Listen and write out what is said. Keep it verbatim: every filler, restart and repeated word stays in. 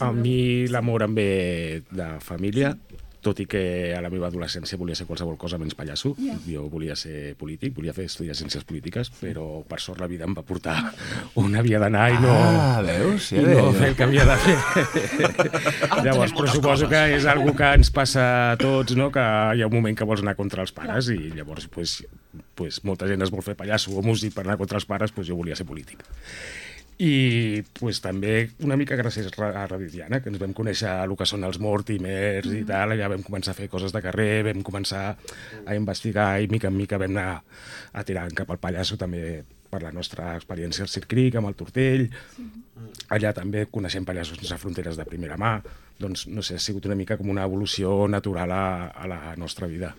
A mi l'amor em ve de família, tot i que a la meva adolescència volia ser qualsevol cosa menys pallasso. Jo volia ser polític, volia fer estudiar ciències polítiques, però per sort la vida em va portar on havia d'anar i no, Ah, veus? i no fer el que havia de fer. Llavors, però suposo que és algo que ens passa a tots, no? Que hi ha un moment que vols anar contra els pares i llavors pues, pues, molta gent es vol fer pallasso o músic per anar contra els pares, pues jo volia ser polític. I pues, també una mica gràcies a Radio Tiana, que ens vam conèixer el que són els Mortimers i tal, ja vam començar a fer coses de carrer, vam començar a investigar i mica en mica vam anar a tirar cap al pallasso també per la nostra experiència al Circ Cric, amb el Tortell. Allà també coneixem pallassos sense fronteres de primera mà. Doncs, no sé, ha sigut una mica com una evolució natural a, a la nostra vida.